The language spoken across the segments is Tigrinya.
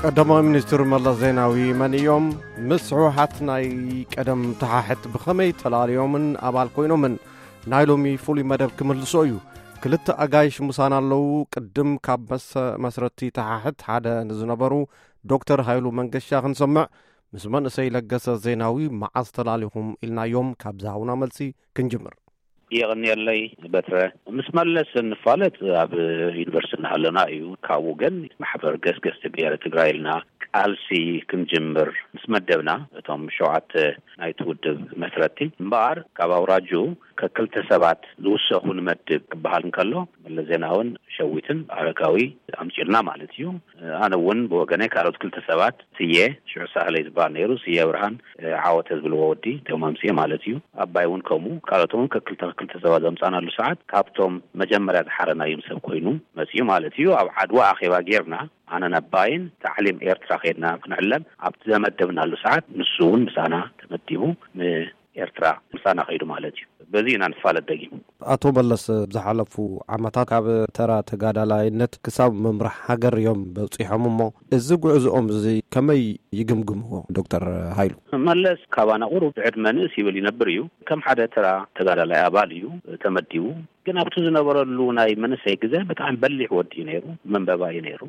ቀዳማይ ሚኒስትር መለስ ዜናዊ መን እዮም? ምስ ህወሓት ናይ ቀደም ተሓሕት ብኸመይ ተላለዮምን ኣባል ኮይኖምን? ናይ ሎሚ ፍሉይ መደብ ክምልሶ እዩ። ክልተ ኣጋይሽ ምሳና ኣለዉ። ቅድም ካብ መሰ-፣ መስረቲ ተሓሕት ሓደ ንዝነበሩ ዶክተር ሃይሉ መንገሻ ክንሰምዕ፣ ምስ መንእሰይ ለገሰ ዜናዊ መዓስ ተላሊኹም ኢልናዮም። ካብ ዝሃቡና መልሲ ክንጅምር። የቐንየለይ በትረ። ምስ መለስ እንፋለጥ ኣብ ዩኒቨርሲቲ እናሃለና እዩ። ካብኡ ግን ማሕበር ገስገስቲ ብሄረ ትግራይ ኢልና ቃልሲ ክንጅምር ምስ መደብና፣ እቶም ሸውዓተ ናይቲ ውድብ መስረቲ እምበኣር፣ ካብ ኣውራጁ ከክልተ ሰባት ዝውሰኹ ንመድብ ክበሃል እንከሎ፣ መለስ ዜናውን ሸዊትን ኣረጋዊ ኣምፂኡልና ማለት እዩ። ኣነ እውን ብወገነይ ካልኦት ክልተ ሰባት፣ ስየ ሽዑ ሳህለይ ዝበሃል ነይሩ፣ ስየ ብርሃን፣ ዓወተ ዝብልዎ ወዲ እቶም ኣምፅኤ ማለት እዩ። ኣባይ እውን ከምኡ፣ ካልኦት እውን ከክልተ ክልተ ሰባት ዘምፃናሉ ሰዓት፣ ካብቶም መጀመርያ ዝሓረናዮም ሰብ ኮይኑ መፅኡ ማለት እዩ። ኣብ ዓድዋ ኣኼባ ጌርና፣ ኣነን ኣባይን ታዕሊም ኤርትራ ከይድና ክንዕለም ኣብቲ ዘመደብናሉ ሰዓት፣ ንሱ እውን ምሳና ተመዲቡ፣ ን ኤርትራ ምሳና ከይዱ ማለት እዩ። በዚ ኢና ንፋለጥ ደጊም። ኣቶ መለስ፣ ብዝሓለፉ ዓመታት ካብ ተራ ተጋዳላይነት ክሳብ ምምራሕ ሃገር እዮም በጺሖም እሞ፣ እዚ ጉዕዞኦም እዚ ከመይ ይግምግምዎ ዶክተር ሃይሉ? መለስ ካባና ቁሩብ ብዕድመ ንእስ ይብል ይነብር እዩ። ከም ሓደ ተራ ተጋዳላይ ኣባል እዩ ተመዲቡ። ግን ኣብቲ ዝነበረሉ ናይ መንእሰይ ግዜ ብጣዕሚ በሊሕ ወዲ እዩ ነይሩ፣ መንበባ እዩ ነይሩ፣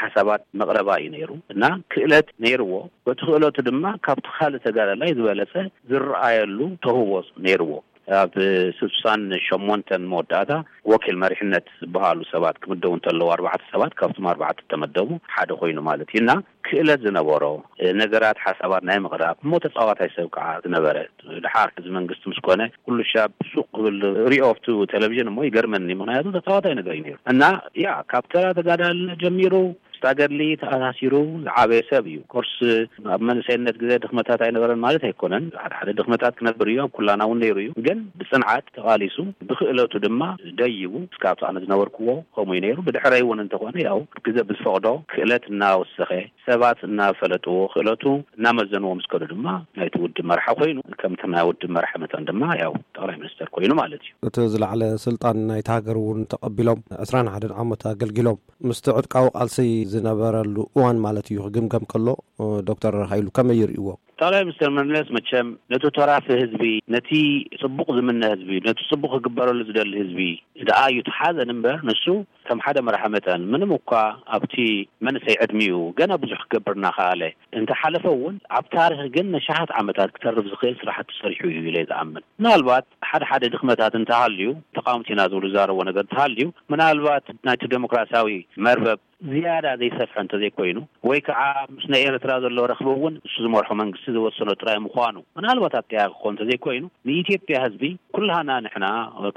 ሓሳባት መቕረባ እዩ ነይሩ እና ክእለት ነይርዎ። በቲ ክእለቱ ድማ ካብቲ ካልእ ተጋዳላይ ዝበለጸ ዝረኣየሉ ተውህቦ ነይርዎ። ኣብ ስሳን ሸሞንተን መወዳእታ ወኪል መሪሕነት ዝበሃሉ ሰባት ክምደቡ እንተለዉ፣ ኣርባዕተ ሰባት ካብቶም ኣርባዕተ ተመደቡ ሓደ ኮይኑ ማለት እዩ እና ክእለት ዝነበሮ፣ ነገራት ሓሳባት ናይ ምቕራብ እሞ ተጻዋታይ ሰብ ከዓ ዝነበረ፣ ድሓር ሕዚ መንግስቲ ምስ ኮነ ኩሉ ሻብ ሱቕ ክብል ሪኦ ኣብቲ ቴሌቪዥን እሞ ይገርመኒ። ምኽንያቱ ተጻዋታይ ነገር እዩ ነይሩ እና ያ ካብ ተራ ተጋዳልነት ጀሚሩ ምስታ ገድሊ ተኣሳሲሩ ዝዓበየ ሰብ እዩ። ኮርስ ኣብ መንእሰይነት ግዜ ድኽመታት ኣይነበረን ማለት ኣይኮነን። ሓደ ሓደ ድኽመታት ክነብር እዩ፣ ኣብ ኩላና እውን ነይሩ እዩ። ግን ብጽንዓት ተቓሊሱ፣ ብክእለቱ ድማ ደይቡ እስካብ ኣነ ዝነበርክዎ ከምኡ እዩ ነይሩ። ብድሕረይ እውን እንተኾነ ያው ግዜ ብዝፈቕዶ ክእለት እናወሰኸ፣ ሰባት እናፈለጥዎ፣ ክእለቱ እናመዘንዎ ምስ ከዱ ድማ ናይቲ ውድብ መራሒ ኮይኑ፣ ከምቲ ናይ ውድብ መራሒ መጠን ድማ ያው ጠቕላይ ሚኒስተር ኮይኑ ማለት እዩ። እቲ ዝለዓለ ስልጣን ናይቲ ሃገር እውን ተቐቢሎም ዕስራን ሓደን ዓመት ኣገልጊሎም። ምስቲ ዕጥቃዊ ቃልሲ ዝነበረሉ እዋን ማለት እዩ ክግምገም ከሎ፣ ዶክተር ሃይሉ ከመይ ይርእይዎ? ጠቕላይ ሚኒስትር መለስ መቸም ነቲ ተራፊ ህዝቢ፣ ነቲ ጽቡቕ ዝምነ ህዝቢ፣ ነቲ ጽቡቕ ክግበረሉ ዝደሊ ህዝቢ ደኣ እዩ ተሓዘን እምበር፣ ንሱ ከም ሓደ መራሒ መጠን ምንም እኳ ኣብቲ መንእሰይ ዕድሚኡ ገና ብዙሕ ክገብር እናኸኣለ እንተሓለፈ እውን፣ ኣብ ታሪኽ ግን ነሽሓት ዓመታት ክተርፍ ዝኽእል ስራሕቲ ሰሪሑ እዩ ኢለ ዝኣምን። ምናልባት ሓደ ሓደ ድኽመታት እንተሃልዩ፣ ተቃወምቲ ኢና ዝብሉ ዝዛረብዎ ነገር እንተሃልዩ፣ ምናልባት ናይቲ ዴሞክራሲያዊ መርበብ ዝያዳ ዘይሰፍሐ እንተዘይኮይኑ፣ ወይ ከዓ ምስ ናይ ኤርትራ ዘሎ ረኽቢ እውን ንሱ ዝመርሖ መንግስቲ ዝወሰኖ ጥራይ ምዃኑ ምናልባት ኣጠያቂ ክኾን እንተዘይኮይኑ፣ ንኢትዮጵያ ህዝቢ ኩላህና ንሕና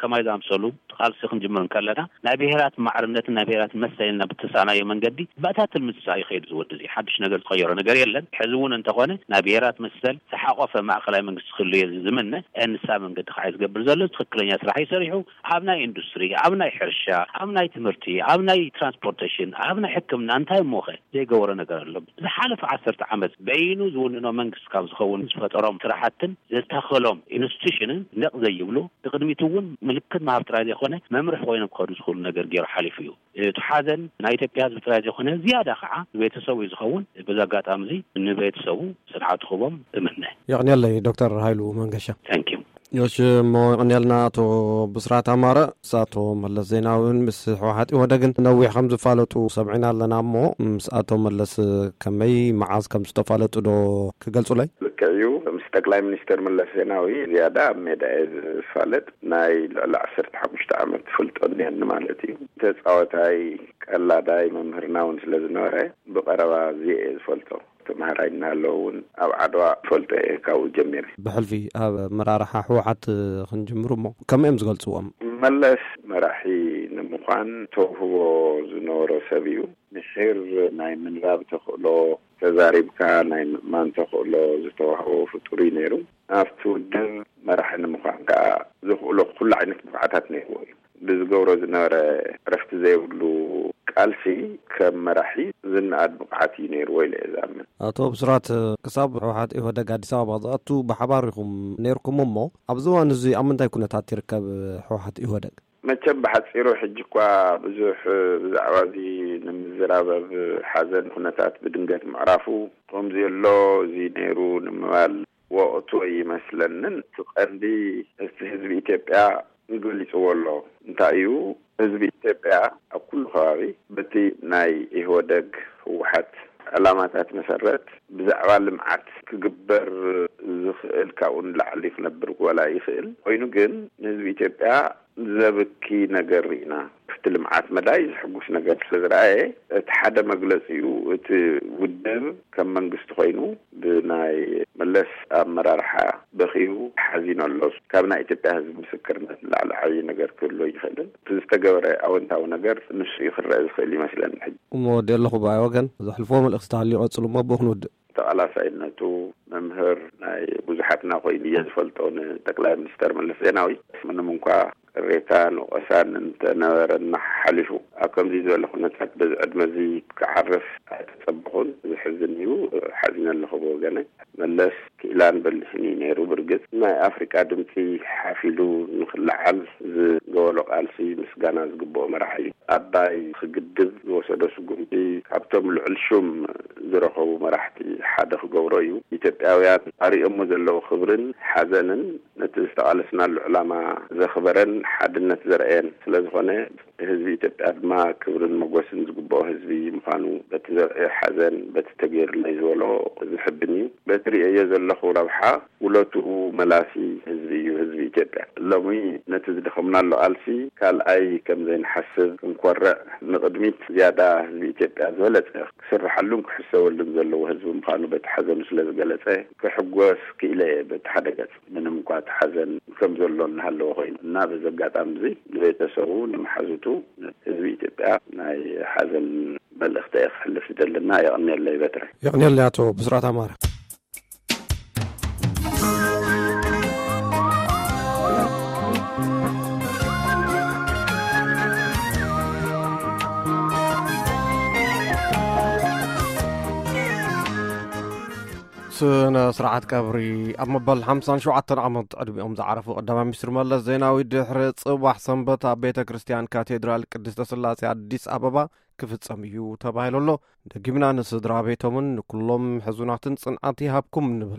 ከማይ ዝኣምሰሉ ቃልሲ ክንጅምር እንከለና ናይ ብሄራት ማዕርነትን ናይ ብሄራት መሰልን ናብ እተሳእናዮ መንገዲ ብእታ ትልሚ ዝሳ ይኸይድ ዝወዲ እዚ ሓድሽ ነገር ዝቐየሮ ነገር የለን። ሕዚ እውን እንተኾነ ናይ ብሄራት መሰል ዝሓቆፈ ማእኸላይ መንግስቲ ክህሉ እየ ዝምነ። ንሳ መንገዲ ከዓ እዩ ዝገብር ዘሎ። ትኽክለኛ ስራሕ እዩ ሰሪሑ። ኣብ ናይ ኢንዱስትሪ፣ ኣብ ናይ ሕርሻ፣ ኣብ ናይ ትምህርቲ፣ ኣብ ናይ ትራንስፖርቴሽን፣ ኣብ ናይ ሕክምና እንታይ እሞኸ ዘይገበሮ ነገር ኣሎ? ዝሓለፈ ዓሰርተ ዓመት በይኑ ዝውንኖ መንግስቲ ካብ ዝኸውን ዝፈጠሮም ስራሕትን ዘተኸሎም ኢንስቲቱሽንን ነቕ ዘይብሉ፣ ብቅድሚት እውን ምልክት ምሃብ ጥራይ ዘይኮነ መምርሒ ኮይኖም ክኸዱ ዝኽእሉ ነገር ገይሩ ሓሊፉ እዩ። እቲ ሓዘን ናይ ኢትዮጵያ ህዝቢ ጥራይ ዘይኮነ ዝያዳ ከዓ ንቤተሰቡ እዩ ዝኸውን። በዚ ኣጋጣሚ እዚ ንቤተሰቡ ጽንዓት ክህቦም እምነ። የቕንየለይ ዶክተር ሃይሉ መንገሻ። ታንክ ዩ። እሺ፣ እሞ የቕንየልና ኣቶ ብስራት ኣማረ። ምስ ኣቶ መለስ ዜናዊ እውን ምስ ህወሓት ኢህወደግን ነዊሕ ከም ዝፋለጡ ሰምዕና ኣለና። እሞ ምስ ኣቶ መለስ ከመይ መዓዝ ከም ዝተፋለጡ ዶ ክገልጹለይ? ልክዕ እዩ። ምስ ጠቅላይ ሚኒስትር መለስ ዜናዊ ዝያዳ ኣብ ሜዳ እየ ዝፋለጥ። ናይ ልዕሊ ዓሰርተ ሓሙሽተ ዓመት ፍልጦ እኒሀኒ ማለት እዩ። ተጻወታይ፣ ቀላዳይ፣ መምህርና እውን ስለ ዝነበረ ብቐረባ እዚየ እየ ዝፈልጦ። ተምሃራይ እናሃለወ እውን ኣብ ዓድዋ ፈልጦ እየ ካብኡ ጀሚረ። ብሕልፊ ኣብ ኣመራርሓ ህወሓት ክንጅምሩ እሞ ከመይ እዮም ዝገልፅዎም? መለስ መራሒ ንምዃን ተውህቦ ዝነበሮ ሰብ እዩ። ምሒር ናይ ምንባብ ተኽእሎ፣ ተዛሪብካ ናይ ምእማን ተኽእሎ ዝተዋህቦ ፍጡር እዩ ነይሩ። ኣብቲ ውድብ መራሒ ንምዃን ከዓ ዘኽእሎ ኩሉ ዓይነት ብቕዓታት ነይርዎ እዩ። ብዝገብሮ ዝነበረ ዕረፍቲ ዘይብሉ ቃልሲ ከም መራሒ ዝነኣድ ብቕዓት እዩ ነይርዎ ኢለ እየ ዝኣምን። ኣቶ ብስራት፣ ክሳብ ህወሓት ኢህወደግ ኣዲስ ኣበባ ዝኣቱ ብሓባር ኢኹም ነይርኩም እሞ፣ ኣብዚ እዋን እዚ ኣብ ምንታይ ኩነታት ይርከብ ህወሓት ኢህወደግ? መቸም ብሓጺሩ ሕጂ እኳ ብዙሕ ብዛዕባ እዚ ንምዝራብ ኣብ ሓዘን ኩነታት ብድንገት ምዕራፉ፣ ከምዚ ኣሎ እዚ ነይሩ ንምባል ወቕቱ ኣይመስለንን። እቲ ቀንዲ እቲ ህዝቢ ኢትዮጵያ ገሊጽዎ ኣሎ። እንታይ እዩ? ህዝቢ ኢትዮጵያ ኣብ ኩሉ ከባቢ በቲ ናይ ኢህወደግ ህወሓት ዕላማታት መሰረት ብዛዕባ ልምዓት ክግበር ዝኽእል ካብኡ ንላዕሊ ክነብር ወላ ይኽእል ኮይኑ፣ ግን ንህዝቢ ኢትዮጵያ ዘብኪ ነገር ርኢና። ክፍቲ ልምዓት መዳይ ዝሕጉስ ነገር ስለ ዝረኣየ፣ እቲ ሓደ መግለጺ እዩ። እቲ ውድብ ከም መንግስቲ ኮይኑ ብናይ መለስ ኣመራርሓ በኺዩ ሓዚኑ ኣሎ። ካብ ናይ ኢትዮጵያ ህዝቢ ምስክርነት ንላዕሊ ዓብዪ ነገር ክህሉ ይኽእልን። እቲ ዝተገበረ ኣወንታዊ ነገር ንሱ እዩ ክረአ ዝኽእል ይመስለኒ። ሕጂ እሞ ወዲ ኣለኹ ብኣይ ወገን ዘሕልፎ መልእኽቲ ተሃልዩ ቀጽሉ እሞ ብኡ ክንውድእ። ተቓላሳይነቱ መምህር ናይ ብዙሓትና ኮይኑ እየ ዝፈልጦ ንጠቅላይ ሚኒስተር መለስ ዜናዊ። ምንም እንኳ ቅሬታ፣ ንቐሳን እንተነበረና ሓሊፉ፣ ኣብ ከምዚ ዝበለ ኩነታት በዚ ዕድመ እዚ ክዓርፍ ኣይተጸበኹን። ዝሕዝን እዩ። ሓዚነ ኣለኹ ብወገነ። መለስ ክኢላን በሊሕን እዩ ነይሩ። ብርግጽ ናይ ኣፍሪቃ ድምጺ ሓፊሉ ንኽለዓል ዝገበሎ ቃልሲ ምስጋና ዝግብኦ መራሒ እዩ። ኣባይ ክግድብ ዝወሰዶ ስጉምቲ ካብቶም ልዑል ሹም ዝረኸቡ መራሕቲ ሓደ ክገብሮ እዩ። ኢትዮጵያውያን ኣርእዮሞ ዘለዉ ክብርን ሓዘንን ነቲ ዝተቓለስናሉ ዕላማ ዘኽበረን ሓድነት ዘርአየን ስለ ዝኾነ፣ ህዝቢ ኢትዮጵያ ድማ ክብርን መጎስን ዝግብኦ ህዝቢ ምዃኑ በቲ ዘርእዮ ሓዘን፣ በቲ ተገይሩለይ ዝበሎ ዝሕብን እዩ። በቲ ርእየዮ ዘለኹ ረብሓ ውለትኡ መላሲ ህዝቢ እዩ፣ ህዝቢ ኢትዮጵያ። ሎሚ ነቲ ዝደኸምናሉ ቃልሲ ካልኣይ ከም ዘይንሓስብ ክንኮርዕ፣ ንቕድሚት ዝያዳ ህዝቢ ኢትዮጵያ ዝበለጸ ክስርሓሉን ክሕሰበሉን ዘለዎ ህዝቢ ምዃኑ በቲ ሓዘኑ ስለ ዝገለጸ ክሕጎስ ክኢለ እየ። በቲ ሓደ ገጽ ምንም እንኳ እቲ ሓዘን ከም ዘሎ እናሃለወ ኮይኑ እና፣ በዚ ኣጋጣሚ እዚ ንቤተሰቡ፣ ንመሓዙቱ፣ ህዝቢ ኢትዮጵያ ናይ ሓዘን መልእኽቲ እየ ክሕልፍ ዝደልና። የቐንየለይ በትረ። የቕንየለይ ኣቶ ብስራት ኣማረ። ስነ ስርዓት ቀብሪ ኣብ መበል ሓምሳን ሸውዓተን ዓመት ዕድሚኦም ዝዓረፉ ቀዳማይ ሚኒስትር መለስ ዜናዊ ድሕሪ ጽባሕ ሰንበት ኣብ ቤተ ክርስቲያን ካቴድራል ቅድስተ ስላሴ ኣዲስ ኣበባ ክፍጸም እዩ ተባሂሉ ኣሎ። ደጊምና ንስድራ ቤቶምን ንኩሎም ሕዙናትን ጽንዓት ይሃብኩም ንብል።